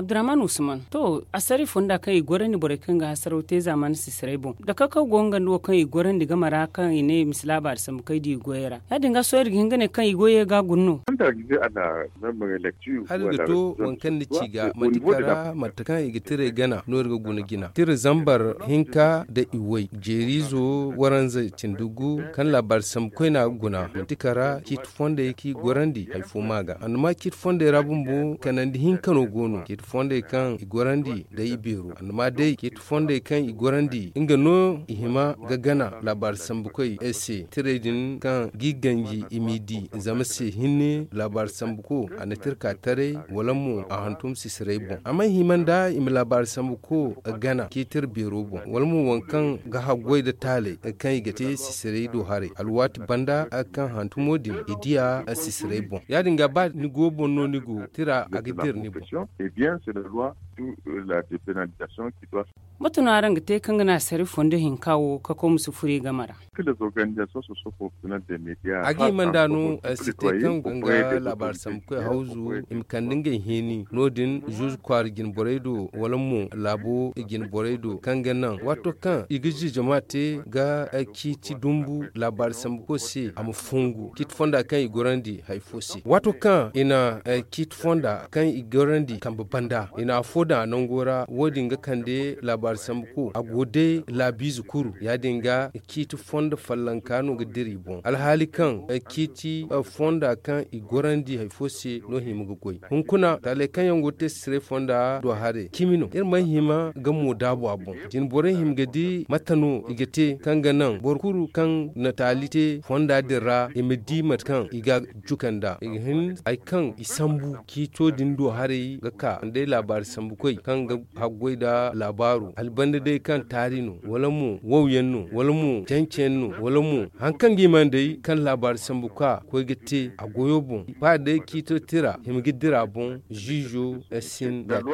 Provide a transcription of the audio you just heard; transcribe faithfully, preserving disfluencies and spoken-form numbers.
Abdurrahman usman, to, asari fonda kaŋ i gorandi borey kaŋ ga hasaraw te zamani sisiray boŋ, da kakaw go nga nda wo kaŋ i gorandi game ra kaŋ i ne i ma si laabaari sambu kaŋ i di i goyey ra. Ya- din ga sohõ iri ga hin ga ne kaŋ i goyey ga guna no. Hala ga to waŋ kaŋ ni ci ga manti kara mate kaŋ i ga tiray gana no iri ga guna jina tira zambar hinka nda iway jeeriizo waranza cindi gu kaŋ laabaari sambu koyna ga guna manti kara ciiti fondey kaŋ i gorandi hari fo ma ga annama ciiti fondey ra bumbo kanandi hinka no go no ciiti fondey kaŋ i gorandi day i beero annama day ciiti fondey kaŋ i gorandi nga no i hima ga gana laabaari sambukoy se tiray din kaŋ g'i ganji i m'i di zama se hinne laabaari sambuko a na tirka taray wala mo a hantum sisiray boŋ a mana hima nda i ma laabaari sambuko gana ciiti iri beero boŋ wala mo waŋ kaŋ ga haggoy nda taaley kaŋ i ga te sisiray do haray alwaati banda kaŋ hantumo din i diya sisiray boŋ ya- din ga ba ni go boŋ no ni go tira a ga dira ni boŋ. Mate no araŋ ga te kaŋ ga naŋ asari fondo hinka wo kakaw ma si furo i game ra? A ga hima nda no si te kaŋ ga nga laabaari sambukoy hawzu i ma kande ngey heeni no- din zuuzu kwaara jine borey do wala mo laabo jine borey do kaŋ ga naŋ waato kaŋ i ga ziizama te ga ciiti dumbu laabaari sambuko se a ma fongu ciiti fonda kaŋ i gorandi hari fo se waato kaŋ i na ciiti fonda kaŋ i gorandi kambe banda i na afo daŋ a nango ra wo- din ga kande laabaari sambuko a go day laabiize kuru ya- din ga ciiti fondo follonka no ga dira i boŋ alhaali kaŋ ciiti fonda kaŋ i gorandi hari fo se no hima ga goy hunkuna taaley kaŋ yaŋ go ga te sisiray fonda do haray cimi no iri mana hima ga mo daabu a boŋ jine borey hima ga di mate no i ga te kaŋ ga naŋ boro kulu kaŋ na taali te fonda din ra i ma di mate kaŋ i ga jukanda i ga hin hari kaŋ i sambu ciito din do haray ga ka nda ay laabaari sambukoy kaŋ ga haggoy nda laabaaru albanda day kaŋ taari no wala mo wow yaŋ no wala mo cance yaŋ no wala mo hari kaŋ ga i mana day kaŋ laabaari sambu ka koy ga te a goyo boŋ ba day ciito tira hima ga dira boŋ ziizo. Sin da te.